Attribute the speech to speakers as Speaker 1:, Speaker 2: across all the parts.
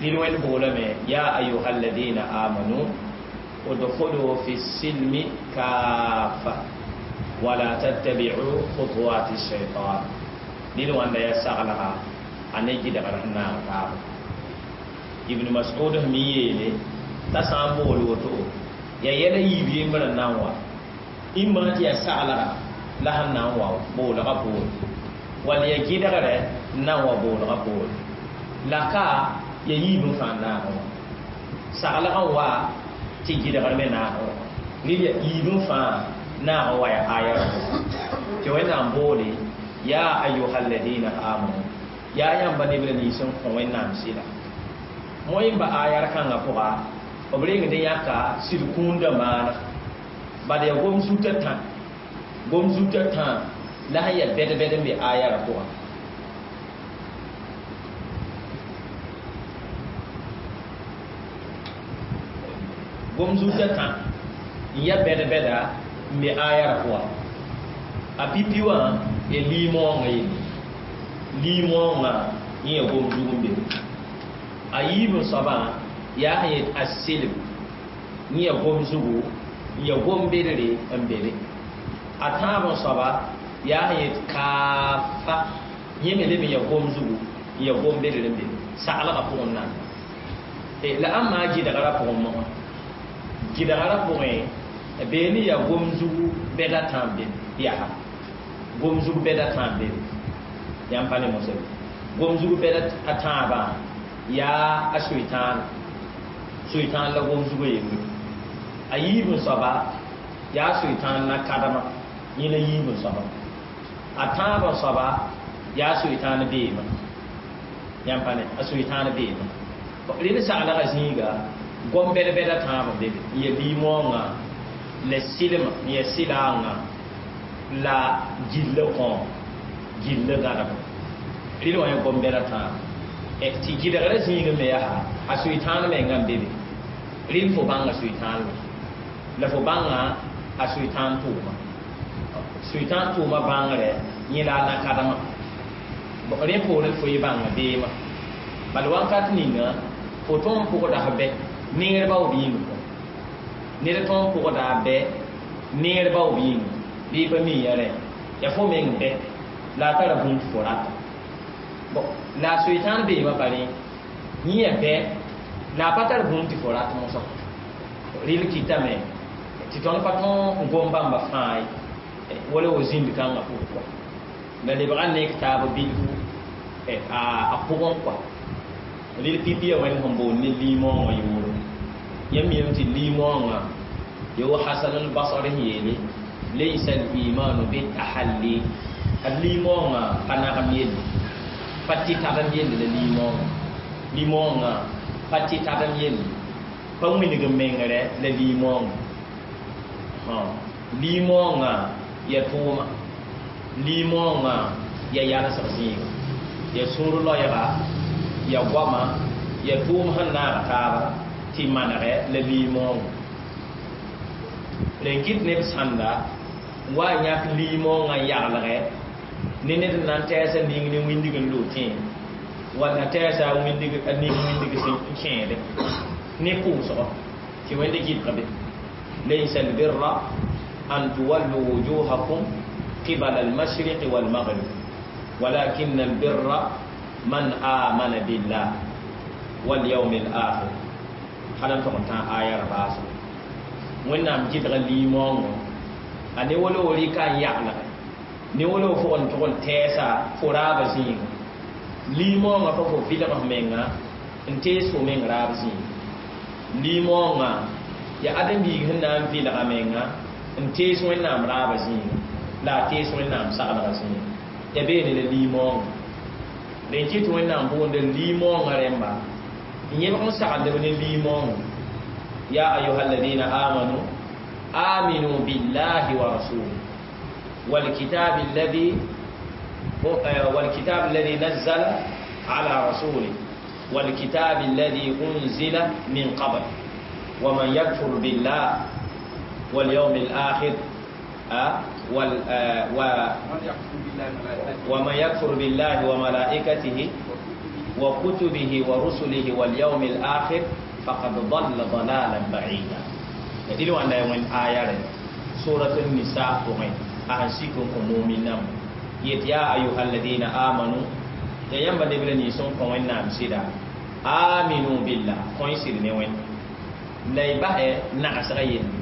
Speaker 1: Rɩl wẽnd boolame ya ayuha alladina amanu udkhulu fi silmi kafa wala tattabi'u khutuwati shaitan. Rɩl wãnda yaa saglga a ne gɩdgr sẽn naag taaba. Ibn Mas'ud sẽn yeele t'a sã n bool woto yaa yɛla yiib yembr n na n wa ĩmma tɩ yaa saglga la sẽn na n wa boolgã poore wall yaa gɩdgrɛ n na n wa boolgã poore la ka ya yiib n fãa naag wã saglg n wa tɩ gɩdgr me naag wã rɩl ya yiib n fãa naag n wa ya aya rã tɩ Wẽnnaam boole ya ayuha alladina amanu yaa yãmba neb la nins n kõ Wẽnnaam sɩda moẽ n ba aya r kãngã pʋga b rengd n yãka sɩd kũundã maana bad yaa gom zutã tã gom zutã tã la sẽn yaa bɛd-bɛd n be aya rã pʋgã. Gom zutã tã n ya bɛd-bɛda n be aya rã pʋga a pipi wã ya liimoongã yelle liimoongã yẽ ya gom zug n be a yiib n soabã yaa sẽn yet a selem yẽ ya gom zugu n ya gom bedre n be be a tãab n soaba yaa sẽn yet kaafa yẽ me leb n ya gom zugu n ya gom bedre n be saglgã pʋgẽ n nan la ãmba gɩdgrã pʋgẽ mosã gɩdgrã pʋgẽ beene yaa gom zugu bɛda tãab be yaa gom zugu bɛda tãab be yãmb pa ne mosã gom zugu bɛda a tãabã yaa a soetãan soetãan la gom zugu yembre a yiib n soaba yaa soetãan na kadama yẽ la yiib n soaba a tãab n soaba yaa soetãan beema yãmb pa ne a soetãan beema rẽnd saglgã zĩiga gom bɛd-bɛda tãab n be be n ya liimoongã la sɩlma n ya sɩlaangã la gilla kõ gilla gãdem rɩl wã ya gom bɛda tãab tɩ gɩdgrã zĩig me yaa a soetãan mengã n be be rɩl fo bãnga soetãan la fo bãnga a soetãan tʋʋma soetãan tʋʋma bãngrɛ yẽ la a nakadmã rẽ poorẽ fo yɩ bãnga beemã bala wakat ninga fo tõnd pʋgda f bɛ neer baoob yĩng ned tõnd pʋgda a bɛ neer baoob yĩng bɩ pa mi ya rẽ ya fo meng bɛ la a tara bũmb tɩ fo rata la a soetãan beemã pa rẽ yẽ ya bɛ la a pa tar bũmb tɩ fo rat mosã rɩl kɩtame tɩ tõnd pa tõog n gom bãmba fãa ye wala wa zĩnd kãngã pʋgẽ kɔa la lebga nek taab bilfu a pʋgẽ kɔa rɩl pipi ya wẽnd sẽn boond ne liimoongã yʋʋre yãmb miame tɩ liimoongã ya wa Hasan al-Basri sẽn yeele laysa al-imanu bitahalli ad liimoongã pa nagem yelle pa tɩ tadem yelle la liimoongã liimoongã pa tɩ tadem yelle pa wĩneg n mengrɛ la liimoongã liimoongã ya tʋʋma liimoongã ya yalsg zĩiga ya sũur loɛɛga ya goama ya tʋʋm sẽn naag taaba tɩ manegɛ la liimoongã rẽn kɩt neb sãnda n wa n yãk liimoongã n yaglgɛ ne ned n na n tɛɛsa ning ne wĩndig n loog tẽe walla tɛɛsa a ning wĩndig sẽn kẽede ne pʋʋsgɔ tɩ wẽnd gɩdg be laysa albirra an tuwallu wujuhakum qibala almashriqi walmaghrib walakin albirra man amana billah walyawm alakhir hal n tog n tã aya ra baasgo Wẽnnaam gɩdga liimoongõ a ne wala wo rɩka n yaglgɛ ne wala wo fo n tʋg n tɛɛsa fo raabã zĩiga liimoongã pa fo vɩlg f menga n tees fo meng raab zĩiga liimoongã ya ãdem-biig sẽn na n vɩlga menga n tees Wẽnnaam raabã zĩiga la a tees Wẽnnaam saglgã zĩiga ya beene la liimoongã rẽn kɩt Wẽnnaam boonda liimoongã rẽmba n yẽbg n sagldb ne liimoongã ya ayuha alladina amanu aminu billahi wa rasulihi والكتاب الذي نزل على رسوله والكتاب الذي أنزل من قبل ومن يكفر بالله واليوم الآخر ومن يكفر بالله وملائكته wa kutubihi wa rusulihi wal yawmil akhir faqad dhalla dhalalan ba'ida. Dili wanda wen ayare suratul nisa pʋgẽ a sẽn sik n kõ muminam yet ya ayuha alladina amanu ya yãmba neb la nins n kõ wẽnnaam sɩda aminu billah kõ y sɩd ne wẽnd la y basɛ nagsga yelle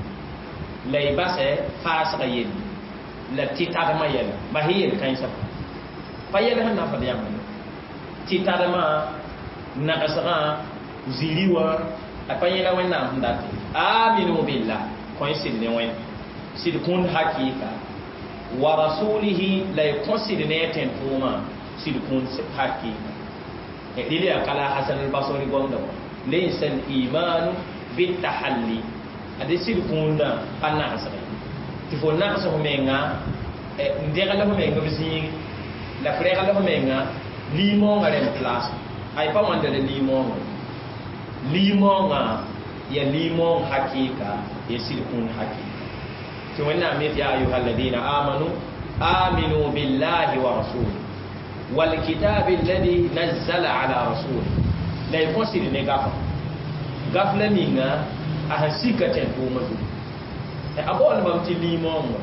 Speaker 1: la y basɛ faasga yelle la tɩ-tadmã yɛla bas y yel-kãensã pa yɛl sẽn na n fad yãmb tɩ-tadmã nagsgã ziri wã a pa yẽla wẽnnaam sẽn dat aminu billah kõ y sɩd ne wẽnd sɩd kũnd hakɩɩka wa rasulihi la y kõ sɩd ne a tẽn-tʋʋmã sɩd kũnd hakɩɩka dɩl yaa kala Hasan al-Basri gomda wã laysa al-imanu bitahalli ade sɩd kũndã pa nagsge tɩ fo nags f menga n degl f menga b zĩig la f regl f menga liimoongã rẽmb place ay pa wãnda la liimoongã liimoongã ya liimoong hakɩɩka ya sɩd kũnd hakɩɩka tɩ wẽnnaam yet ya ayuha alladina amanu aminu billahi wa rasuli walkitabi alladhi nazzala ala rasuli la y kõ sɩd ne gafa gaf la ninga a sẽn sika tẽn-tʋʋmã zugu a baool bãmb tɩ liimoongã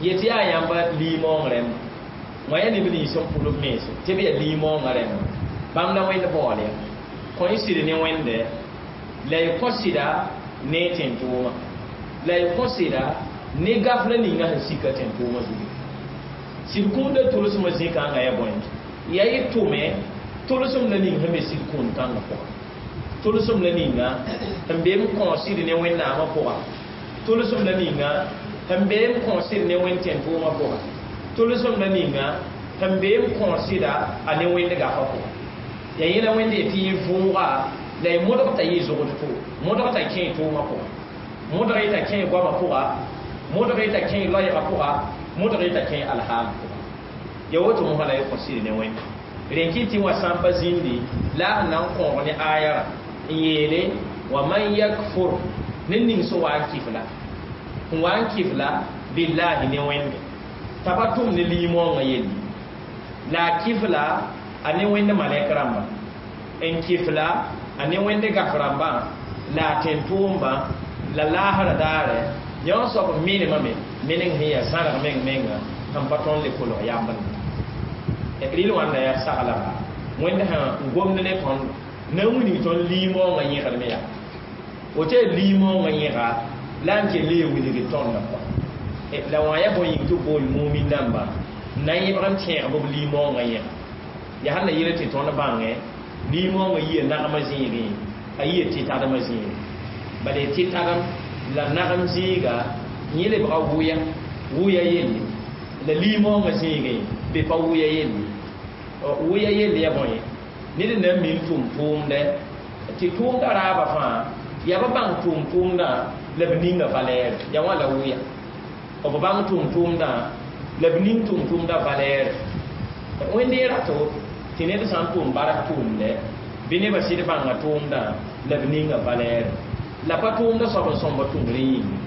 Speaker 1: yet yaa yãmba liimoong rẽmba wã yaa neb nins n pʋl b mense tɩ b yaa liimoongã rẽmba bãmb la wẽnd baool ya kõ y sɩd ne wẽnde la y kõ sɩda ne tẽn-tʋʋmã la y kõ sɩda ne gaf la ninga sẽn sika tẽn-tʋʋmã zugu sɩd kũundã tʋlsmã zĩ-kãngã ya bõe ya y tʋme tʋlsem la ning sẽn be sɩd kũund kãngã pʋga tʋlsem la ninga sẽn be n kõ sɩd ne wẽnnaamã pʋga tʋlsem la ninga sẽn be n kõ sɩd ne wẽnd tẽn-tʋʋmã pʋga tʋlsem la ninga sẽn be n kõ sɩda a ne wẽnd gafa pʋga ya yẽla wẽnde tɩ y vʋʋga la y modg t'a yɩ zogd tʋ modg t'a kẽ tʋʋmã pʋga modg t'a kẽ goamã pʋga modg t'a kẽ loɛɛgã pʋga modg t'a kẽ alhaam pʋga ya woto mosã la y kõ sɩd ne wẽnd rẽn kɩ tɩ wã sã n pa zĩndi la a sẽn na n kõog ne ayara n yeele wa man yakfur ned ning sẽn wa n kɩf-la n wa n kɩf-la billahi ne wẽnde t'a pa tʋm ne liimoongã yelle la a kɩf-la a ne wẽnd malɛk rãmba n kɩf-la a ne wẽnd gaf rãmbã la a tẽn-tʋʋmbã la laasrã daare yõ soab n menemame meneng sẽn yaa zãrg meng menga sẽn pa tõnd le kolg yãmb rɩl wãnda yaa saglga wẽnd sã n gomd ne tõnd na n wilg tõnd liimoongã yẽgdme yaa woto yaa liimoongã yẽga la n kell yaa wilgd tõndã kɔa la wã yaa bõe yĩng tɩ b bool mumin dãmba n na n yẽbg n tẽeg b liimoongã yẽga yaa sẽn na yel tɩ tõnd bãngẽ liimoongã yia nagmã zĩigẽ a yia tɩ-tadmã zĩigẽ bala y tɩ-tadem la nagem zĩiga yẽ lebga wʋya wʋya yelle la liimoongã zĩigẽ be pa wʋya yelle wʋya yelle ya bõe ned n na n mim tʋʋm-tʋʋmdɛ tɩ tʋʋmdã raabã fãa yaa ba bãng tʋʋm-tʋʋmdã la b ninga valɛɛre ya wã la wʋya b bãng tʋʋm-tʋʋmdã la b ning tʋʋm-tʋʋmdã valɛɛre wẽnd n rat woto tɩ ned sã n tʋʋm bark tʋʋmdɛ bɩ nebã sɩd bãnga tʋʋmdã la b ninga valɛɛre la pa tʋʋmdã soab n sõmba tʋmd rẽ yĩnga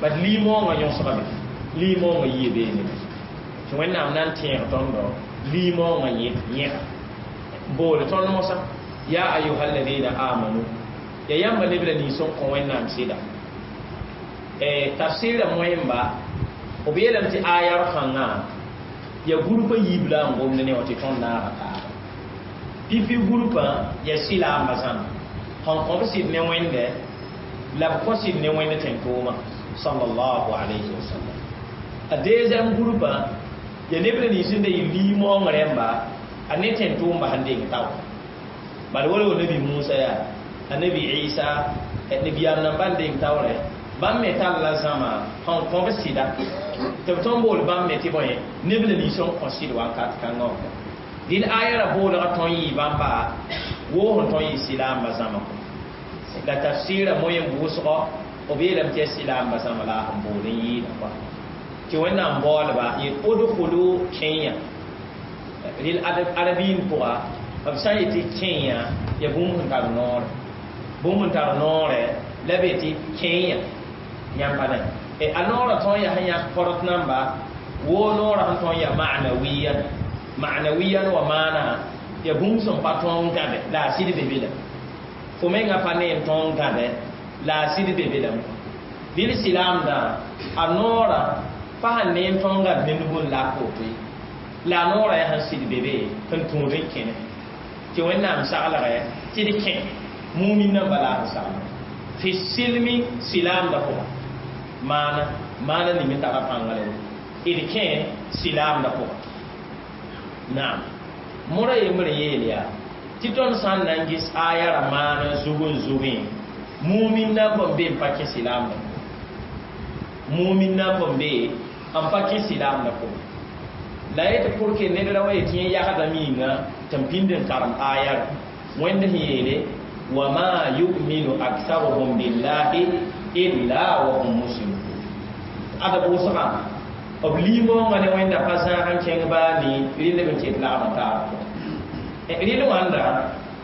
Speaker 1: bat liimoongã yõsgame liimoongã yie beene tɩ wẽnnaam na n tẽeg tõndo liimoongã yẽga boole tõnd mosã ya ayuha alladina amanu ya yãmba neb la nins n kõ wẽnnaam sɩda tafsɩɩrã moẽmba b yeelame tɩ ayar kãngã ya gurpã yiib la n gomd ne wã tɩ tõnd naaga taaba pipi gurpã ya sɩlaambã zãma sẽn kõ b sɩd ne wẽnde la b kõ sɩd ne wẽnd tẽn-tʋʋmã sallallahu alayhi wa sallam a deuxième gurpã ya neb la nins n da yɩ liimoong rẽmba a ne tẽn-tʋʋmbã sẽn deng tao bala wala nabi Musa yaa a nabi Isa nabiyaam nambã n deng taoorɛ bãmb me tall la zãma sẽn kõ b sɩda tɩ b tõnd bool bãmb me tɩ bõe neb la nins n kõ sɩd wakat kãngã wã dĩn aya ra boolga tõnd yɩ bãmba woo sẽn tõnd yɩ sɩlaambã zãma kɔ la tafsɩɩrã moyen wʋsgɔ b yeelame tɩ yaa sɩlaambã zãma la a sẽn bool n yɩɩda kɔa tɩ wẽnnaam baoolba yet odkhulu kẽnya rɩl arabiin pʋga b sã n yetɩ kẽnya ya bũmb sẽn tar noore bũmb sẽn tar noorɛ la be tɩ kẽnya yãmb pa ne a noorã tõn yaa sẽn yãk porot namba woo noorã sẽn tõn yaa ma'nawiyan ma'nawiyan wa maana Ya bũmb sẽn pa tõog n gãde la a sɩd be be lame. Fo menga pa ne n tõog n gãde la a sɩd be be lame. Dɩl silaamdã a noorã pa sẽn ne n tõog n gãd ne nug n lak woto ye. La a noorã yaa sẽn sɩd be be sẽn tũud n kẽne. Tɩ Wẽnnaam saglgɛ tɩ d kẽ mumin namba la a sẽn sagl. Fi silmi silaamdã pʋga. Maana maana ning n tara pãngre d kẽ silaamdã pʋga. Naam. Mora yembre yeel yaa tɩ tõnd sã n na n ges aya ra maan n zug n zugẽ mumin na n n be n pa kẽ silaamdã pʋgẽ. Mumin na n be n pa kẽ silaamdã pʋgẽ. La yetɩ pour que ned ra wa yetɩ yẽ yagdame yĩnga tɩ n pĩnd n karem aya ra. Wẽnd sẽn yeele wama yuminu aktharuhum billahi illa wa hum mushrikun. Ada bʋʋsgã b liimoongã ne Wẽnda pa zãag n kẽng baa ne rɩl b n ket lagm n taab pʋgẽ. Rɩl wãnda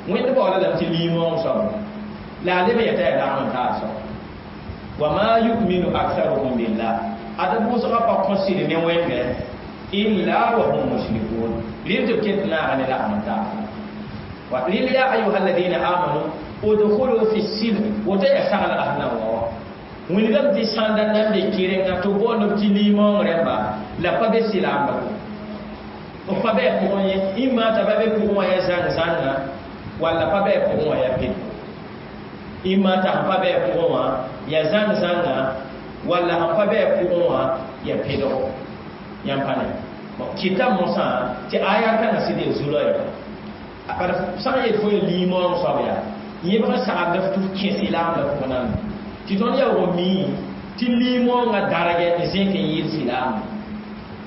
Speaker 1: Wẽnd baooda lame tɩ liimoong soab la a leb n yeta yaa lagm n taab soab. Wama yuminu aktharuhum billah ada bʋʋsgã pa kõ sɩd ne Wẽnde illa wa hum mushrikun. Rɩl tɩ b ket naaga ne lagm n taab. Wa rɩl ya ayuha alladina amanu udkhulu fi silm woto ya sagl ahna wa wilgame tɩ sãnda nan be kɩrenga tɩ boond b tɩ liimoong rẽmba la pa be silaamdã pʋgẽ. B pa bɩ a pʋgẽ ye ĩmma t'a pa be pʋgẽ wã yaa zãng-zãnga walla pa bɩ a pʋgẽ wã yaa ped. Ĩmma t'a sẽn pa bɩ a pʋgẽ wã yaa zãng-zãnga walla sẽn pa bɩ a pʋgẽ wã yaa pedgo. Yãmb pa ne. Kɩta mosã tɩ aya kãngã sɩd yaa zu-rao yaa. Bala sã n yet fo yaa liimoong soab yaa yẽbg n sagd f tɩ f kẽ silaamdã pʋgẽ nan. Tɩ tõnd yaoog n mii tɩ liimoongã dargɛ n zẽk n yɩɩd silaamdã.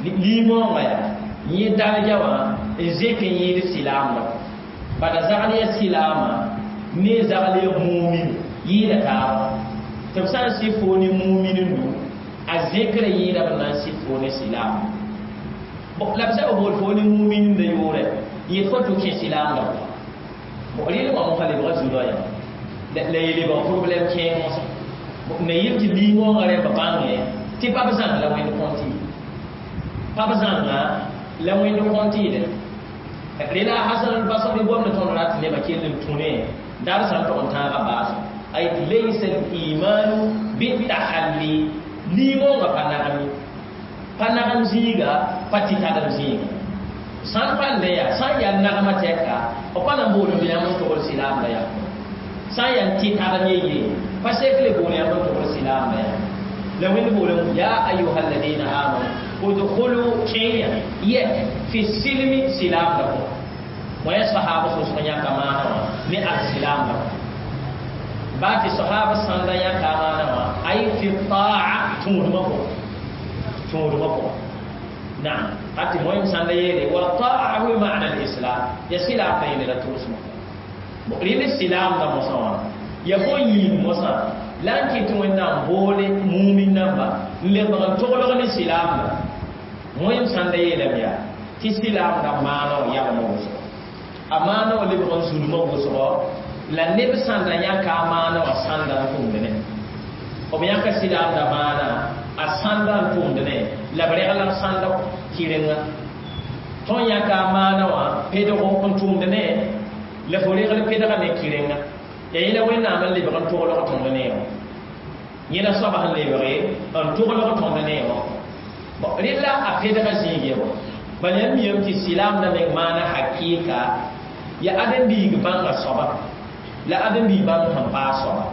Speaker 1: Liimoongã yaa yẽ darga wã n zẽk n yɩɩd silaamdã. Bala zagl yaa silaamã ne zagl yaa mumin yɩɩda taaba. Tɩ b sã n sɩ fo ne mumin nu a zẽkrã yɩɩda b na n sɩ fo ne silaamã. La b sã b bool fo ne mumin da yʋʋrɛ yet fo tɩ kẽ silaamdã pʋgã. Rɩl wã mosã lebga zu-rao yaa la y lebg problɛm kẽeng mosã. Na yel tɩ liimoongã rẽmba bãngẽ tɩ pa b zãng la Wẽnd kõnt ye. Pa b zãnga la Wẽnd kõnt yɩlẽ. Rela Hasan al-Basri gomd tõnd rat nebã kell n tũ ne dar sã n tog n tãagã baasã. A yetɩ laysa al-imanu bitahalli liimoongã pa nagem ye. Pa nagem zĩiga pa tɩ tadem zĩiga. Sã n pa n yaa sã n yaa nagmã tɛka b pa na n bool b yãmb n togl silaamdã yaa. Sã n yaa n tɩ tadem ye pa sek le bool yãmb n togl silaamdã yaa. La Wẽnd boolame ya ayuha alladina amanu udkhulu kẽeya yɛ fi silmi silaamdã pʋgẽ. Wã yaa sahab sʋsg yãka maana wã ne al-silaamdã pʋgẽ. Baa tɩ sahab sãnda yãka a maana wã ay fi taa tũudmã pʋgẽ. Tũudmã pʋgẽ. Naam. Ati moyem sãnda yeele wa taa huwa maana al-islam ya silaamdã yẽne la tʋʋsmã. Rɩl silaamdã mosã wã ya bõe yĩng mosã la n kɩt Wẽnnaam boole mumin namba n lebg n toglg ne silaamdã. Moyem sãnda yeelame yaa tɩ silaamdã maana wã yalmã wʋsgo. A maana wã lebg n zulmã wʋsgo la neb sãnda yãka a maana wã sãnda n tʋmd ne. B yãka silaamdã maana a sãnda n tʋmd ne la b regl n sãnda kɩrenga. Tõnd yãka a maana wã pedgo n tʋmd ne la fo regl pedga ne kɩrenga. Ya yẽla Wẽnnaam n lebg n toglg tõnd ne wã. Yẽla soaba sẽn lebge n toglg tõnd ne wã. Rɩla a pedga zĩig ye bõ. Bala yãmb miyame tɩ silaamdã meng maana hakɩɩka ya ãdem-biig bãnga soaba la ãdem-biig bãng sẽn paas soaba.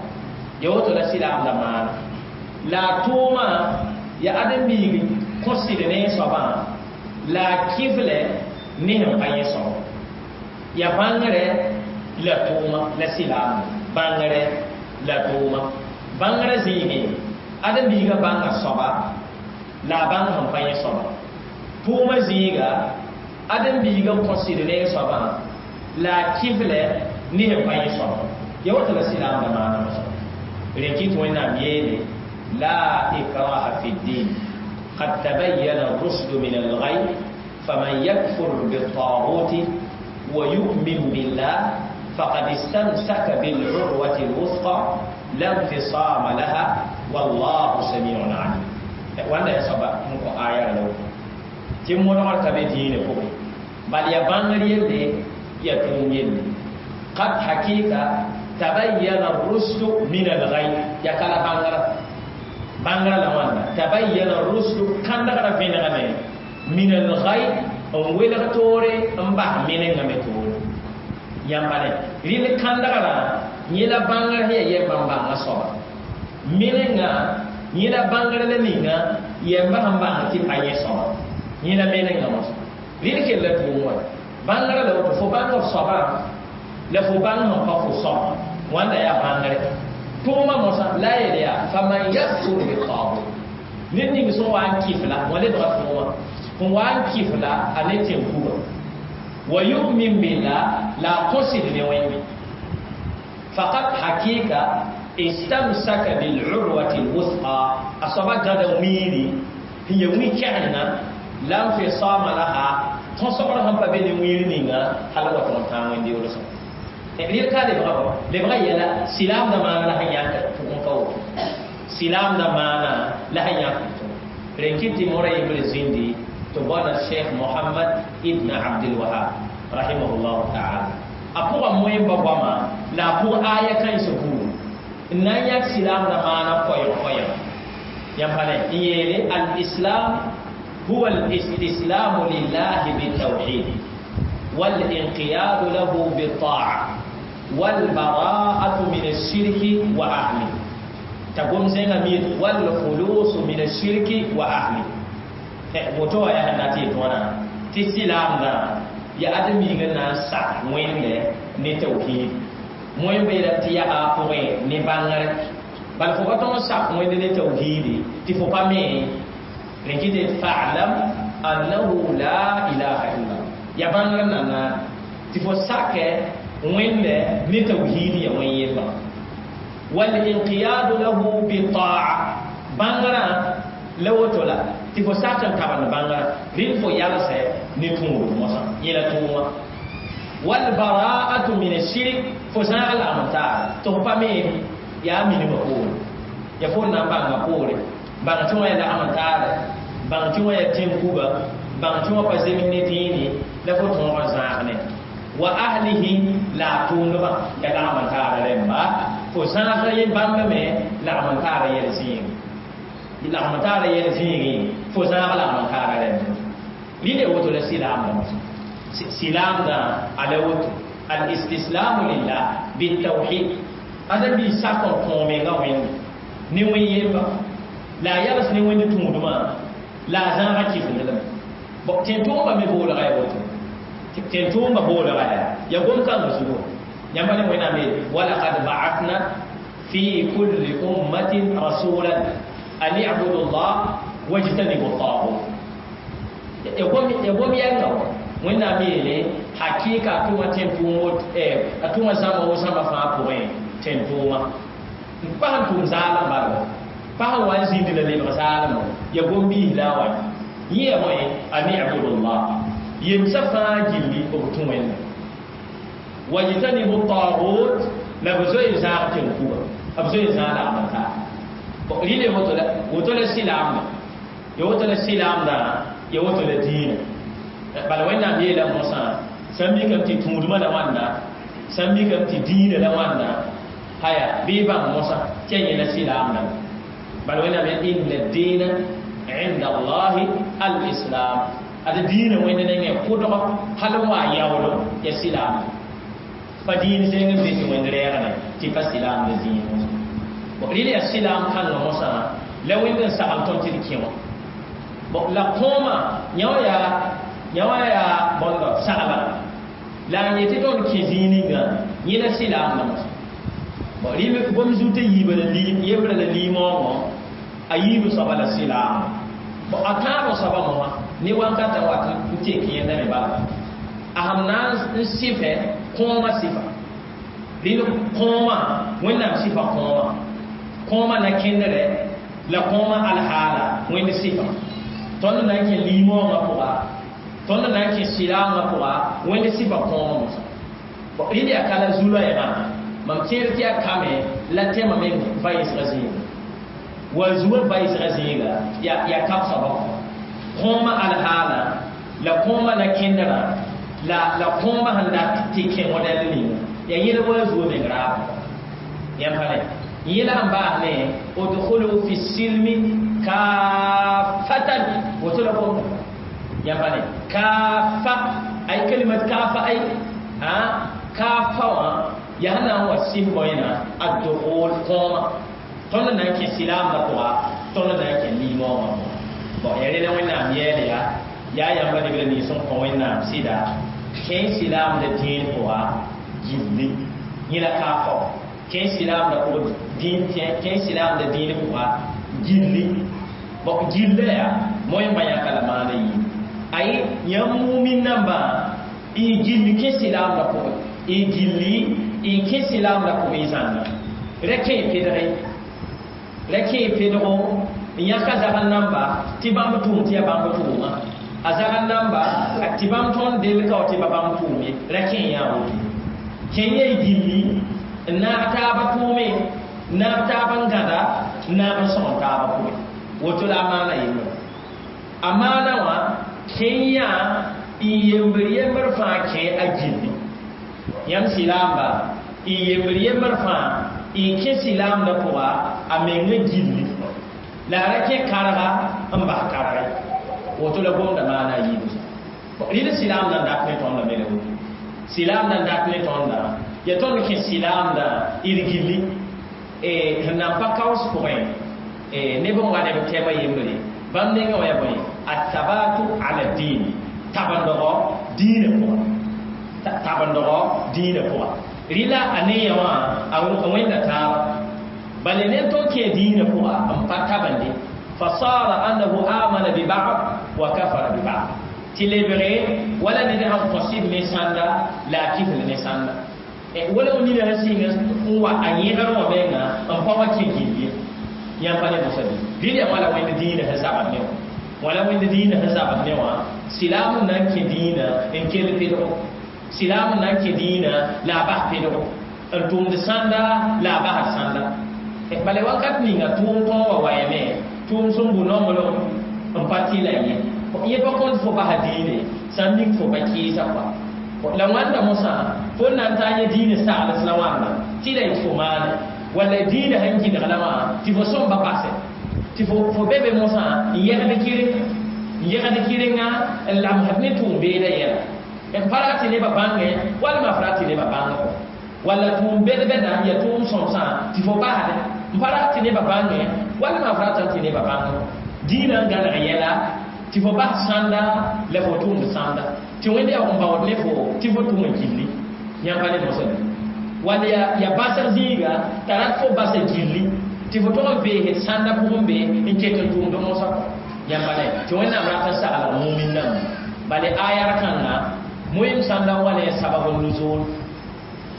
Speaker 1: Ya woto la silaamdã maana. La a tʋʋmã ya ãdem-biig kõ sɩd ne soabã la a kɩflɛ ne sẽn pa yẽ soaba. Ya bãngrɛ la tʋʋma la silaamdã. Bãngrɛ la tʋʋma. Bãngrã zĩigẽ ãdem-biigã bãnga soaba la a bãng sẽn pa yẽ soaba. Tʋʋmã zĩiga ãdem-biigã kõ sɩd ne soabã la a kɩflɛ ne sẽn pa yẽ soaba. Ya woto la silaamdã maana mosã. Rẽ kɩ tɩ Wẽnnaam yeele la ikraha fi ddin qad tabayyana ar-rushdu min al-ghayy faman yakfur bit-taghuti wa yu'min billah faqad istamsaka bil-urwati al-wuthqa la infisama laha wallahu sami'un 'alim. Wãnda yaa soaba n kõ aya la woto. Tɩ modgr ka be dĩinã pʋgẽ. Bal yaa bãngr yelle Ya tʋʋm yelle qad hakika tabayyana ar-rushd min al-ghay ya kala bãngrã bãngrã la wãnda tabayyana ar-rushd kãndgrã vẽnegame min al-ghay n welg toore n bas menengã me toore yãmba ne rɩl kãndgrã yẽ la bãngrã sẽn ya yɛm bãmb bãngã soaba menengã yẽ la bãngrã la ninga yɛmba sẽn bãng tɩ pa yẽ soaba yẽ la menengã mosã rɩl kell la tʋʋm wa bãngrã la woto fo bãng f soabã la fo bãng sẽn pa fo soaba wãnda yaa bãngre tʋʋmã mosã la a yeel yaa faman yakfur bitagut ned ning sẽn wa n kɩf la wã lebga tʋʋmã sẽn wa n kɩf la a ne tẽn-kuga wa yu'min billah la a kõsd ne Wẽnde faqad hakika istamsaka bil'urwati lwuthqa a soaba gãda wiiri sẽn ya wĩ-kɛgenga la nfisama laha tõsgr sẽn pa be ne wiir ninga hal wa tõg n tãag wẽnd-yool sã rɩl ka lebga bɔ lebga yɛla silaamdã maana la sẽn yãk pʋgẽ ka woto silaamdã maana la sẽn yãk tʋ rẽn kɩ tɩ mora yembr zĩndi tɩ bõna Cheikh Mohamad ibn Abdilwahab rahimahullahu taala a pʋgã moẽmba goama la a pʋg aya kãensã buud n na n yãk silaamdã maana koɛɛg koɛɛg yãmb pa ne n yeele al-islam huwa al-istislamu lillahi bitawhid والانقياد له بالطاعة والبراءة من الشرك وأهله تقوم زين ميت والخلوص من الشرك وأهله woto ya handa ti tona ti silam na ya adami ga na sa wende ne tauhid moy be la ti ya a pore ne bangare bal fo baton sa wende ne tauhid ti fo pa me rekite fa'lam annahu la ilaha illa ya bangare na na ti fo sake wende ne tauhid ya wen yeba wal inqiyad lahu bi ta'a bangara la woto la tɩ fo sak n tabend bãngrã rɩl fo yalsɛ ne tũud mosã yẽla tʋʋmã walbara'atu min ashirik fo zãag lagm n taara tɩ fo pa me yaa minimã poore ya fo na n bãnga poore bãng tɩ wã ya lagm n taare bãng tɩ wã ya tẽn-kuga bãng tɩ wã pa zems ne dĩini la fo tõog n zãag ne wa ahlihi la a tʋʋmdbã ya lagm n taara rẽmba fo zãag yẽ bãmba me lagm n taara yɛl zĩig lagm taara yɛl zĩigẽ fo zãag lagm n taara rẽmba rɩle woto la silaamdã silaamdã a la woto alistislamu lillah bitawhid ada bi sak n kõ menga Wẽnde ne wẽn yemba la a yals ne Wẽnd tũudmã la a zãaga kɩfendlame bon tẽn-tʋʋmba me boolga ya woto tẽn-tʋʋmba boolga ya gom-kãngã zugo yãmba ne Wẽnnaam yeele walakad ba'athna fi kulli ummatin rasulan an i'budu llah wajtanibu tagut ya gom yɛnga wa Wẽnnaam yeele hakika a tʋma tẽn-tʋʋm a tʋma zãma wo zãma fãa pʋgẽ tẽn-tʋʋma n pa sẽn tʋʋm zaalem bala pa sẽn wa n zĩndi la lebg zaalem ya gom-biis la a wa yẽ ya bõe an i'budu llah yemsã fãa gilli b tũ Wẽnda wajtanibu tagut la b zoe n zãag tẽn-kuga b zoe n zãag lagm n taar rɩle woto la silaamdã ya woto la silaamdã ya woto la dĩinã bala Wẽnnaam yeela mosã sã n mikame tɩ tũudmã la wãnda sã n mikame tɩ dĩinã la wãnda haya bɩ y bãng mosã tɩ ya yẽla silaamdã bala Wẽnnaam yaa inna dĩinã inda allahi al-islam ad dĩinã Wẽnd nengẽ kʋdg hal n wa yaoolo ya silaamdã pa dĩin zẽng n be tɩ Wẽnd rɛɛgdẽ tɩ pa silaamdã zĩig mosã rɩl yaa silaam kãngã mosã la Wẽnd n sagl tõnd tɩ d kẽ wã bon la kõoma yã wã yaa bõndo sagla la n yetɩ tõnd kẽ zĩig ninga yẽ la silaamdã mosã bon rɩl gom zut a yiibã la yembrã la liimoongõ a yiib soaba la silaamã bon a tãabã soaba mosã ne wankatã wat n tek yẽnda me bala a sẽn na n sɩfɛ kõomã sɩfa rɩl kõomã Wẽnnaam sɩfa kõomã kõomã na kẽndrɛ la kõomã alhaala Wẽnd sɩfa tõnd na n kẽ liimoongã pʋga tõnd na n kẽ silaamã pʋga Wẽnd sɩfa kõomã mosã rɩl yaa ka la zu-loɛɛgã mam tẽed tɩ yaa kame la tẽmã meng va-yɩsgã zĩiga wa zuã va-yɩsgã zĩiga yaa kab soabã kõomã alhaala la kõomã na kẽndrã La la kõoma sẽn dat tɩ kẽ modɛl ninga ya yẽl wa zuo meng raab yãmb pa ne yẽla n baas ne udkhulu fi silmi kafatan woto la gomda yãmb pa ne kafa ay kalimat kafa ay a kafa wã yaa na n wa sɩs bõena addukhul kõoma tõnd na n kẽ silaamdã pʋga tõnd na n kẽ liimoongã pʋga bon ya rẽna Wẽnnaam yɛɛle yaa yaa yãmba nebra nins n kõ Wẽnnaam sɩda kẽ silaamdã dĩin pʋga gilli yẽ la kaafã kẽ silaamdã pʋg dĩin kẽ silaamdã dĩin pʋga gilli bon gilla yaa moẽmba yãka la maana yiib ay yãmb mumin nambã y gilli kẽ silaamdã pʋgẽ y gilli y kẽ silaamdã pʋgẽ y zãnna ra kẽ pedge ra kẽ pedgo n yãka zagl namba tɩ bãmb tʋʋm tɩ yaa bãmb tʋʋma a zagl namba tɩ bãmb tõnd delka wa tɩ ba bãmb tʋʋm ye ra kẽ yaa woto kẽ ya y gilli n naag taaba tʋʋme n naag taab n gãda n naag n sõgen taaba pʋgẽ woto la a maana yembre a maana wã kẽ yaa n yembr yembr fãa kẽ a gilli yãmb silaamba n yembr yembr fãa n kẽ silaamdã pʋga a menga gilli la a ra kẽ karga n bas karge woto la gomda maana a yiibu rɩd silaamdã n dat ne tõndã me la woto silaamdã n dat ne tõndã ya tõnd kẽ silaamdã d gilli sẽn na n pa kaoos pʋgẽ neb n wa neb tɛma yembre bãmb nengã wã yaa bõe athabatu ala din tabendgɔ diinã pʋga tabendgɔ diinã pʋga rɩla a ne yã wã a wẽnda taaba bala ne tõnd kẽ diinã pʋga n pa tabende fasara annahu amana bi ba'd wa kafara bi ba'd tɩ lebge wala ned sãn kõ sɩd ne sãnda la a kifl ne sãnda wala nina sẽn sɩng n wa a yẽgr wã menga n pa wa kẽ gilli yãmb pa ne mosã bɩ rɩl yaa wala wẽnd diinã sẽn zabd ne wã wala wẽnd diinã sẽn zabd ne wã silaam n na n kẽ diinã n kell pedgo silaam n na n kẽ diinã la a bas pedgo n tʋmd sãnda la a basd sãnda bala wakat ninga tʋʋm tõog wa wayame tʋʋm sẽn bʋ nonglem n pa tɩ la yẽ yẽ pa kõnt fo basa diine sã n mik fo pa kɩɩsa kɔa la wãnda mosã fo n na n taa yẽ diine sagls la wãnda tɩ la yet fo maane walla diine sẽn gɩdg la wã tɩ fo sõmba basɛ tɩ fo be be mosã n yɛgd kɩrenga n lamsd ne tʋʋm beeda yɛla n pa rat tɩ nebã bãngẽ walma f rat tɩ nebã bãng kɔ walla tʋʋm bɛd-bɛda ya tʋʋm sõmsã tɩ fo basdɛ n pa rat tɩ nebã bãngẽ walma f ratã tɩ nebã bãng diinã n gãneg yɛla tɩ fo bas sãnda la fo tʋʋmd sãnda tɩ wẽnd yaa n baood ne fo tɩ fo tʋm n gilli yãmb pa ne mosã wall ya basg zĩiga t'a rat fo basa gilli tɩ fo tog n veesd sãnda pʋgẽ be n ket n tʋʋmd mosã kɔ yãmb pa ne tɩ Wẽnnaam rat n saglg mumin namba bale ayar kãnga moem sãnda n wa ne sabab n nuzul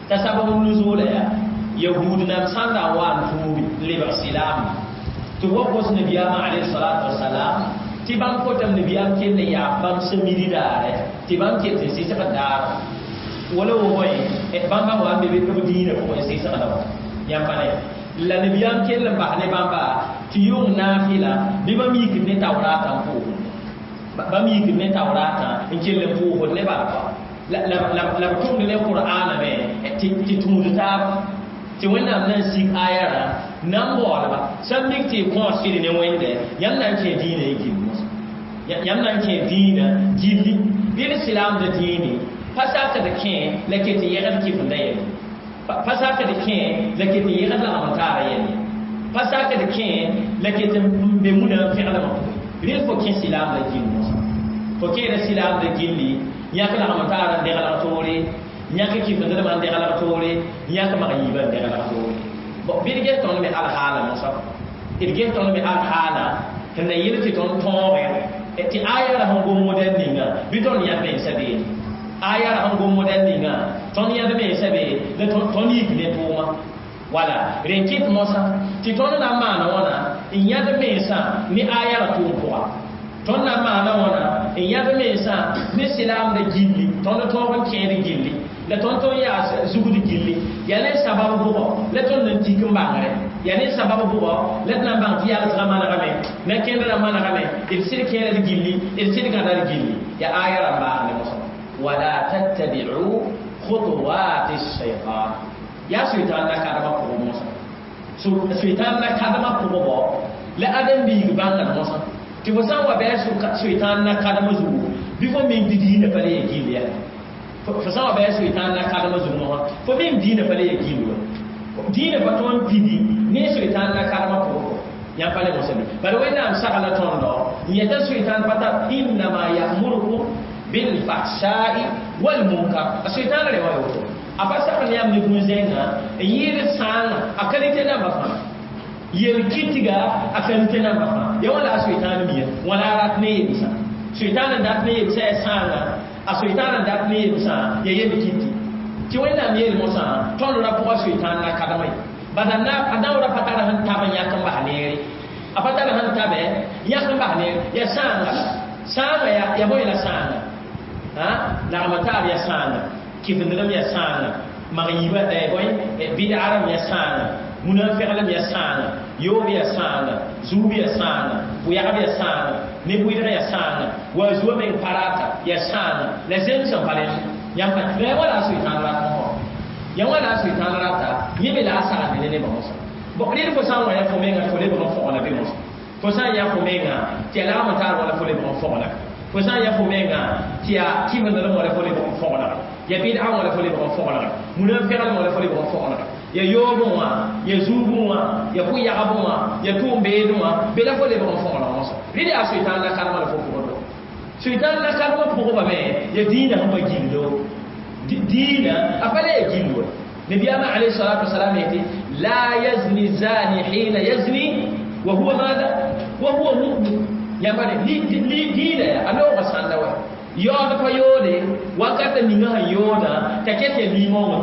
Speaker 1: t'a sabab n nuzuula yaa yahud nam sãnda n wa n tuubi n lebg silaam tɩ wa gos nabiyaamã alayhi salatu wasalam tɩ bãmb kotame nabiyaam kell n yaa bãmb sẽn midi daare tɩ bãmb ket n sɩsg daar wala wo bõe bãmba wa n be b diinã pʋgẽ n sɩsgda wã yãmb pa ne la nabiyaam kell n bas ne bãmba tɩ yʋng naafɩla bɩ bãmb yikd ne taoraatã n pʋʋsd bãmb yikd ne taoraatã n kell n pʋʋsd ne bala kɔa la b tʋmd ne qur'aana me tɩ tũud taaba tɩ Wẽnnaam na n sig ayarã na n baoolba sã n mik tɩ y kõos sɩd ne Wẽnde yãmb na n kẽ diinã y gill mosã yãmb na n kẽ diinã gilli bɩ d silaamdã dĩine pa sakd kẽ la ket n yɛgd kɩfenda yɛl pa sakd kẽ la ket n yɛgd lagm n taara yɛl pa sakd kẽ la ket n be muna n fẽglmã pʋgẽ rɩl fo kẽ silaamdã gill mosã fo kẽeda silaamdã gilli yãk lagm n taara n deglg toore yãk kɩfendrmã n deglg toore yãk mag yiibã n deglg toore bɩ d ges tõnd me alhaala mosã d ges tõnd me alhaala sẽn na yel tɩ tõnd tõogẽ tɩ ayara sẽn gom modɛl ninga bɩ tõnd yãd mensã beene ayara sẽn gom modɛl ninga tõnd yãd mensã be la tõnd yik ne tʋʋma wala rẽ kɩt mosã tɩ tõnd na n maana wãna n yãd mensã ne ayara tʋʋm pʋga tõnd na n maana wãna n yãd mensã ne silaamdã gilli tõnd tõog n kẽed gilli la tõnd tõnd yaa zugd gilli yaa ne sabab bʋgɔ la tõnd n tik n bãngre yaa ne sabab bʋgɔ la d na n bãng tɩ yalsgã manegame na kẽndrã manegame d sɩd kẽeda d gilli d sɩd gãda d gilli yaa aya rãmb baasne mosã ولا تتبعوا خطوات الشيطان يا شيطان لا كادما بوغ موسى شيطان لا كادما بوغ لا ادم بيغ بانغ موسى tɩ fo sã n wa bɩ a soitan na kadem zugu bɩ fo meng tɩ diinã pa le ya gill ya fo sã n wa bɩ a soitan na kadem zugu mosã fo meng diinã pa le ya gill wa diinã pa tõe n pidi ne soitan na kademã pʋgẽ yãmb pa le mosã bɩ bala Wẽnnaam sagla tõndo n yeta soitan pa tar innama ya'murukum bilfahshai walmunkar a soitan re wa woto a pa sagl yãmb ne bũn-zẽnga n yɩɩd sãanga a kalite nambã fãa yel-kɩtga a kalite nambã fãa ya wãla a soitan mia wãla a rat ne yemsã soitan n dat ne yemsã ya sãanga a soitan n dat ne yemsã ya yel-kɩtɩ tɩ Wẽnnaam yeel mosã tõnd ra pʋga soitan la kadmã ye bala a naoora pa tara sẽn tab n yãk n bas neere a pa tara sẽn tabe yãk n bas neere ya sãanga sãanga ya bõe la sãanga lagma taab ya sãanga kɩfendrem ya sãanga mag-yiibã bõe bɩdgrem ya sãanga munafɩglem ya sãanga yoob ya sãanga zuub ya sãanga pʋyagb ya sãanga ne-bʋɩdg ya sãanga wa zua meng parata ya sãanga la zems n pa rẽnd yãmb la ya wala a soitan rat ya wala a soitan rata yẽ me la a sagende ne nebã mosã bon rɩd fo sã n wa ya fo menga fo lebg n fogla be mosã fo sã n ya fo menga tɩ ya lagm n taar wala fo lebg n fogla fo sã n ya fo menga tɩ ya kɩfendrem wala fo lebg n fogla ya bɩd'a wala fo lebg n fogla munafɩglem wala fo lebg n fogla ya yoobẽ wã ya zuubẽ wã ya pʋ-yagb wã ya tʋʋm-beedẽ wã be la fo lebg n fogla mosã rɩd yaa soitan la kadmã la fo pʋgẽ soitan la kadmã pʋgba me ya dĩinã sẽn pa gildo dĩinã a pa le ya gildo نبينا عليه الصلاة والسلام يأتي لا يزني الزاني حين يزني وهو ماذا؟ وهو مؤمن يعني لي دينا أنا وغسان دوا يودا pa yoode wakata ninga sẽn yooda t'a ket ya limõongã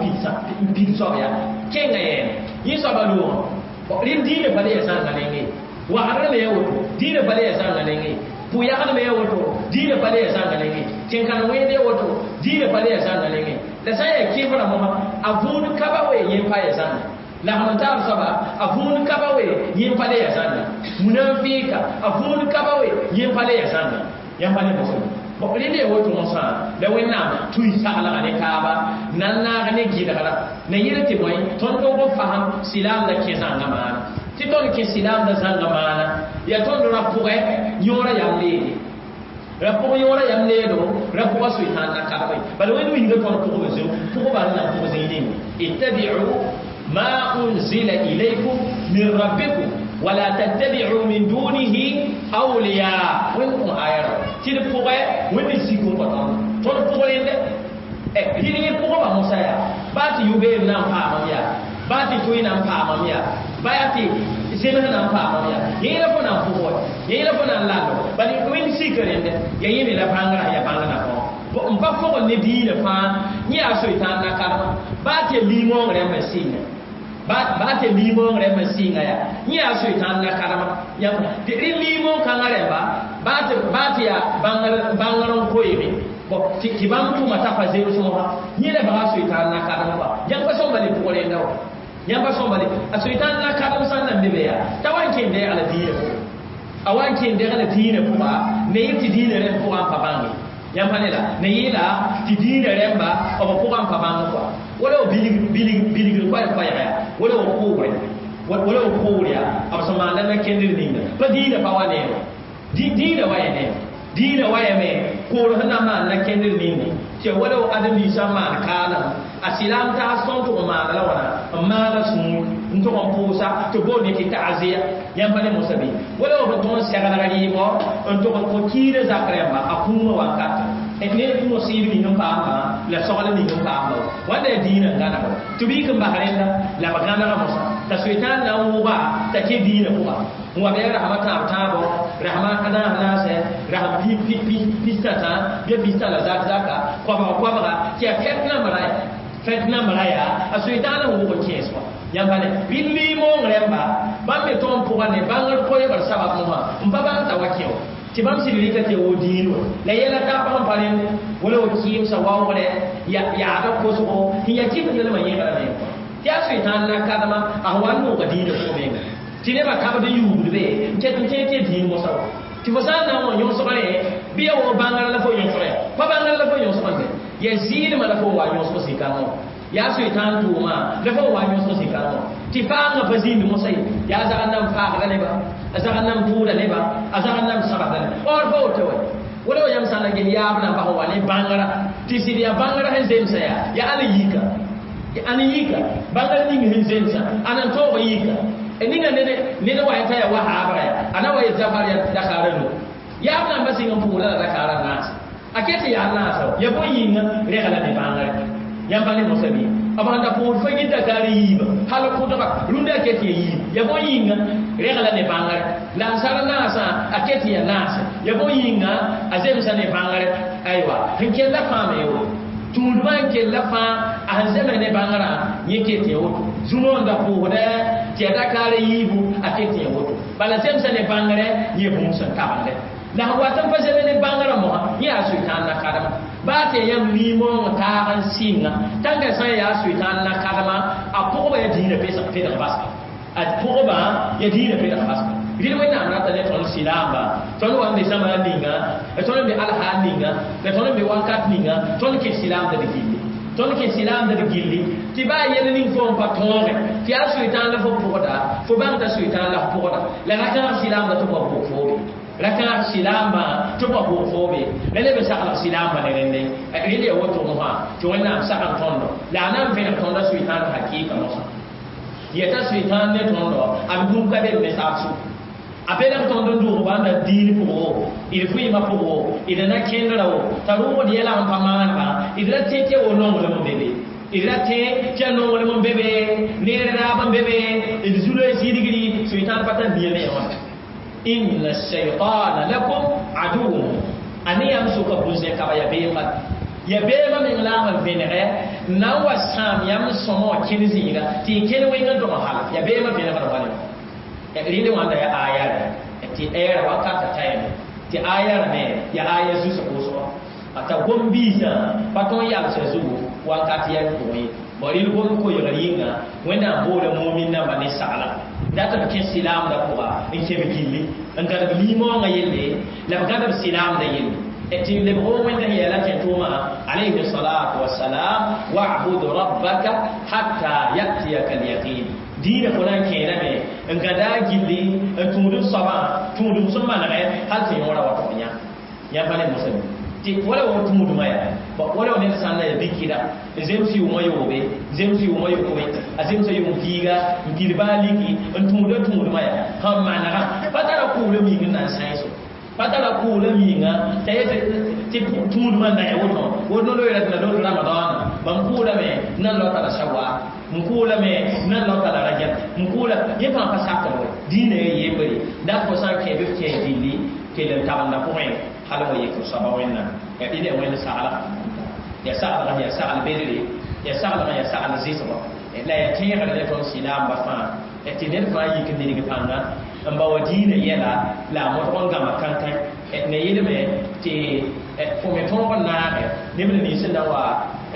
Speaker 1: pid soab ya kẽnga yɛɛne yẽ soaba loogã rɩd dĩinã pa le ya zãnga nengẽ wagdr me ya woto dĩinã pa le ya zãnga nengẽ pʋ-yagd me ya woto dĩinã pa le ya zãnga nengẽ tẽn-kãn wẽed ya woto dĩinã pa le ya zãnga nengẽ la sã n yaa kɩfrã mosã a vũud kaba we yẽ pa ya zãnga lagm n taab soaba a vũud kaba we yẽ pa le ya zãnga munafɩɩka a vũud kaba we yẽ pa le ya zãnga yãmb pa le mosã bon rẽnd ya woto mosã la Wẽnnaam tui saglga ne taaba na n naag ne gɩlgra na yɩl tɩ bõe tõnd tog n fasem silaamda kẽ zãnga maana tɩ tõnd kẽ silaamda zãnga maana ya tõnd ra pʋgɛ yõora yam leede ra pʋg yõora yam leedo ra pʋga soitan na kadma ye bala Wẽnd wilga tõnd pʋgb zĩu pʋgba n na pʋg zĩig ninga ittabi'u ma unzila ilaykum min rabbikum wala tattabi'u min dunihi awliya Wẽnd kõ aya ra tɩ d pʋgɛ Wẽnd sik n kõ tõnd tõnd pʋg rẽndɛ rɩd yẽ pʋgba mosã yaa baa tɩ yʋ-beem na n paamam yaa baa tɩ toɩ na n paamam yaa baa tɩ zems na n paamam yaa yẽ la fo na n pʋg wa yẽ la fo na n lando bala Wẽnd sik rẽndɛ ya yẽ me la bãngrã ya bãng na fõ n pa fogl ne diinã fãa yẽ yaa soitan na kadma baa tɩ ya limõong rẽmb n sɩnga baa tɩ limõong rẽmb n sɩnga yaa yẽ yaa soitan na kadma tɩ rẽ limõong kãngã rẽmba baa tɩ yaa bãngr n koeeme bon tɩ bãmb tʋma t'a pa zems mosã yẽ la baga soitan na kadma wa yãmb pa sõmba le pʋg rẽnda wa yãmb pa sõmba le a soitan na kadm sã n na n be be yaa t'a wa n kẽnd dɛɛg la diinã pʋga a wa n kẽnd dɛɛg la diinã pʋga ne yɩl tɩ diinã rẽmb pʋgã n pa bãnge yãmb pa ne la ne yɩɩla tɩ diinã rẽmba b pʋgã n pa bãng kɔa wala b bilgr koɛɛg yaa wala b kʋʋbre wala b kʋʋr yaa b sẽn maanda na kẽndr ninga pa diinã pa wa neere diinã wa ya neere diinã wa yame kʋʋr sẽn na n maan na kẽndr ninga tɩ wala b ãdem-biisã n maan kaalem a sɩlaam taas tõnd tʋg n maana la wãna n maana sũur n tʋg n pʋʋsa tɩ boond tɩ ta'azia yãmb pa ne mosã bɩ wala b tõg n seglg rɩɩmɔ n tʋg n kõ kiidã zak rẽmba a kũumã wakatã ne mosiib ning n paamba la sogl ning n paamba wãnda yaa diinã n gãneg tɩ b yik n bas rẽnda la b gãnega mosã t'a soitan na n wʋga t'a kẽ diinã pʋga n wa bɩ rasma tãab tãabo rasma naas naasɛ rasm pistã bɩ pistã la zak zaka koabga koabga tɩ yaa fɛt nambra yaa a soitan n wʋg n kẽes wã yãmb pa ne bɩ limõong rẽmba bãmb me tõog n pʋga ne bãngr koeebr sabab mosã n pa bãng t'a wa kẽ wa tɩ bãmb sɩd rɩka tɩ wo diin wa la yɛla taab n pa rẽnd wala w kɩɩmsã waoogrɛ yaada kosgo tɩ ya kɩfndlmã yẽgrame tɩ yaa soitan na kadma a wa n nooga diinã pʋgẽ menga tɩ nebã kabd n yuugd be n ket n kẽ tɩ ya diin mosã wa tɩ fo sã n na n wa yõsgrẽ bɩ ya wa bãngr la fo yõsg ya pa bãngr la fo yõsg n Ya zɩɩdmã la fo n wa yõsg zĩ-kãngã yaa Sʋɩtãan tʋʋma la fo n wa yõsg zĩ-kãngã tɩ faangã pa zĩnd mosã ye yaa zagr nan faagda neba a zagr nan tʋʋda neba a zagr nan sabsda neba or pa woto wa wala wa yãmb sã n na ges yaab namba sẽn wa ne bãngrã tɩ sɩd yaa bãngrã sẽn zemsa yaa yaa ãn yika ãn yika bãngr ning sẽn zemsa ãn n tõog yika ninga ned wa t'a yaa wa haabra yaa a na wa yet zafar yaa dakaara nu yaab namba sɩng n pʋʋla la dakaara naasa a ket yaa naasa ya bõe yĩnga regla ne bãngre yãmb pa ne mosã bɩ b sãn da pʋʋd fo yẽ dakaar yiiba hal kʋdga rũndã a ket ya yiib ya bõe yĩnga regla ne bãngre la n sar naasã a ket ya naase ya bõe yĩnga a zemsa ne bãngre aywa sẽn kella fãa me woto tũudmã n kella fãa a sẽn zems ne bãngrã yẽ ket ya woto zũno n da pʋʋsdɛ tɩ ya dakaar yiibu a ket ya woto bala zemsa ne bãngre yẽ bũmb sẽn tabende la sẽn wat n pa zems ne bãngrã mosã yẽ yaa Sʋɩtãan na-kadema baa tɩ yãmb limong taag n sɩnga tãnga sã n yaa Sʋɩtãan na-kadema a pʋgba ya dĩinã pedg basga a pʋgba ya dĩinã pedg basga rɩl Wẽnnaam rata ne tõnd sɩlaamba tõnd wa n be zãma ninga tõnd n be alhaal ninga la tõnd n be wakat ninga tõnd kẽ sɩlaamda d gilli tõnd kẽ sɩlaamda d gilli tɩ baa yel ning fo n pa tõoge tɩ yaa Sʋɩtãan la fo pʋgda fo bãng t'a Sʋɩtãan la f pʋgda la ra-kãag sɩlaamda tɩ b wa pʋg foobe ra-kãag sɩlaambã tɩ b wa pʋg foobe la leb n saglg sɩlaambã ne rẽnde rẽnd ya woto mosã tɩ Wẽnnaam sag n tõndo la a na n vẽneg tõnda Sʋɩtãan hakɩɩka mosã yeta Sʋɩtãan ne tõndo a b gũm ka be b ne saab sʋk a belg tõnd n dʋg bãnda diin pʋggo d vɩɩmã pʋggo d na kẽndra wo t'a rʋʋgd yɛla n pa maanega d ra tẽ tɩ ya wo nonglem n be be d ra tẽ tɩ ya nonglem n be be neer raab n be be d zu-loe zĩdgri Sʋɩtãan pa tar nia ne ya wãna inna shaytana lakum aduwwun a ne yãmb sʋka bũn-zẽ-kaba ya beemã ya beemã meng la n vẽnegɛ n na n wa sãam yãmb sõma wã kẽn zĩiga tɩ y kẽn wẽng n dog n hala ya beemã vẽnegd wale rẽnd wãnda ya aya rɛ tɩ ɛɛra wakata tayame tɩ aya rame ya aya zusg wʋsgɔ a t'a gom-biisã pa tõn yalsã zugu wakat yɛl pʋgẽ ye bõ rɩl gom koeegr yĩnga Wẽnnaam boola mumin namba ne sagla dat b kẽ sɩlaamdã pʋga n kẽ b gilli n gãdb limõongã yelle la b gãdb sɩlaamdã yelle tɩ lebg Wẽnda sẽn yɛla kẽ tʋʋmã alayhi salatu wasalam wa'bud rabbaka hatta yatiyaka alyaqin dĩinã fo na n kẽedame n gãda a gilli n tũud n soabã tũudum sẽn manegɛ hal tɩ yõora wa tʋg yã yãmb pa ne mosã tɩ wala wa tũudmã yaa wala wa ned sã n na ya bikida n zems yʋʋmã yoobe zems yʋʋmã yokoe a zemsa yʋʋm piiga n pid baa liki n tũuda tũudmã yaa sẽn manegã pa tara kʋʋlã ming n na n sãenso pa tara kʋʋlã minga t'a yet tɩ tũudmã n na ya woto woto no-loeera tɩ na lot Ramadaana mam kʋʋlame nan laota la Sawaal n kʋʋlame nan laota la Rajab n kʋʋla yẽ fãa pa sakr we dĩinã ya yembre dat fo sã n kẽ bɩ f kẽ gilli kell n tabenda pʋgẽ hal wa yek f soaba Wẽnnaam ya rɩl ya Wẽnd saglga ya saglg ya sagl bedre ya saglg ya sagl zɩsgɔ la ya tẽegr ne tõnd sɩlaamba fãa tɩ ned fãa yik n nidg pãnga n ba wa dĩinã yɛla la a modg n gãma kãnkã ne yelme tɩ fo me tõog n naage neb nins n na wa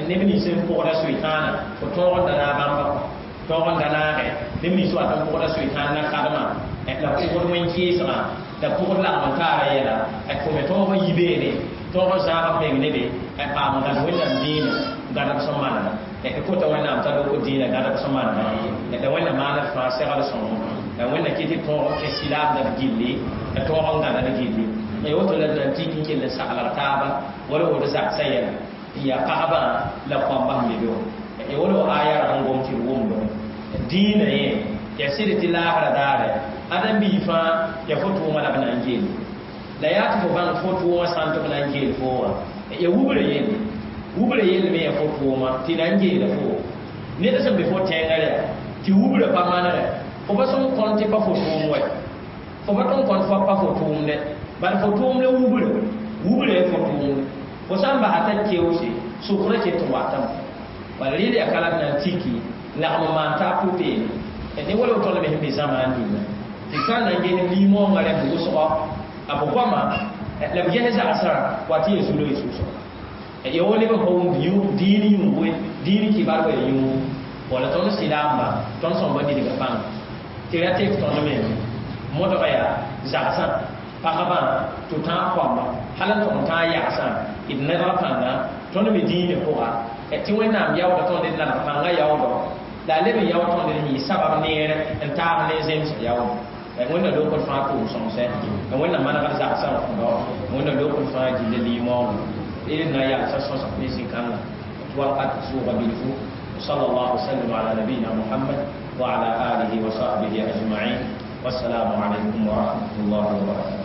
Speaker 1: neb nins n pʋgda Sʋɩtãana fo tõog n da naag bãmba tõog n da naage neb nins wat n pʋgda Sʋɩtãan na-kadmã la pʋgd wẽn-kɩɩsgã la pʋgd lagm n taara yɛla fo me tõog n yi beene tõog n zãag b meng nebe paam n gãd Wẽnnaam dĩinã gãdb sẽn manega kota Wẽnnaam t'a lok dĩinã gãdb sẽn manega la Wẽnnaam maand fãa segl sõngo la Wẽnna kɩ tɩ tõog n kẽ sɩlaamda b gilli la tõog n gãda d gilli ya woto la d na n tik n kell n saglg taaba wala woto zagsã yɛla n yaa pagba la kõamba sẽn be be wã ya wala wa aya ra sẽn gom tɩ d wʋmdo dĩinã yẽ ya sɩd tɩ laasrã daare ãdem-biig fãa ya fo tʋʋmã la b na n geel la yaa tɩ fo bãng fo tʋʋmã sã n tɩ b na n geel fo wã ya wubra yelle wubra yelle me ya fo tʋʋmã tɩ na n geela fo ned sẽn be fo tẽngã rɛ tɩ wubra pa manegɛ fo pa sẽn kõn tɩ pa fo tʋʋm wɛ fo pa tõn kõn fo pa fo tʋʋmdɛ bala fo tʋʋm la wubra wubra ya fo tʋʋmdɛ fo sã n basa t'a keoose sʋkrã ket n watame bala rɩɩd yaa ka la d na n tiki lagm n maan taab pʋ-peene ne wala tõnd me sẽn be zãmaan ninga tɩ sã n na n ges limõongã rẽmb wʋsgɔ a b goama la b ges zagsã wa tɩ ya zu-loe sʋsgo ya wo neb n pa wʋmd dĩin yũugoe dĩin kibar wa ya yũug wala tõnd sɩlaamba tõnd sõmba nidga pãnga tɩ ra tek tõnd me modga yaa zagsã pagba tɩ tãag koamba hal n tʋg n tãag yagsã d nedg pãnga Tõnd me dĩinã pʋga tɩ Wẽnnaam yaooda tõnd d naneg pãngã yaoodɔ la a leb n yaood tõnd d yɩ sabab neer n taag ne zemsg yaood. Wẽnna lokd fãa tʋʋm sõmsɛ, Wẽnna manegd zagsã n kõdɔ, Wẽnna lokd fãa gilla limõongã d na yalsã sõsg ne zĩ-kãngã tɩ wakat sʋʋga bilfu. وصلى الله وسلم على نبينا محمد وعلى آله وصحبه أجمعين، والسلام عليكم ورحمة الله وبركاته.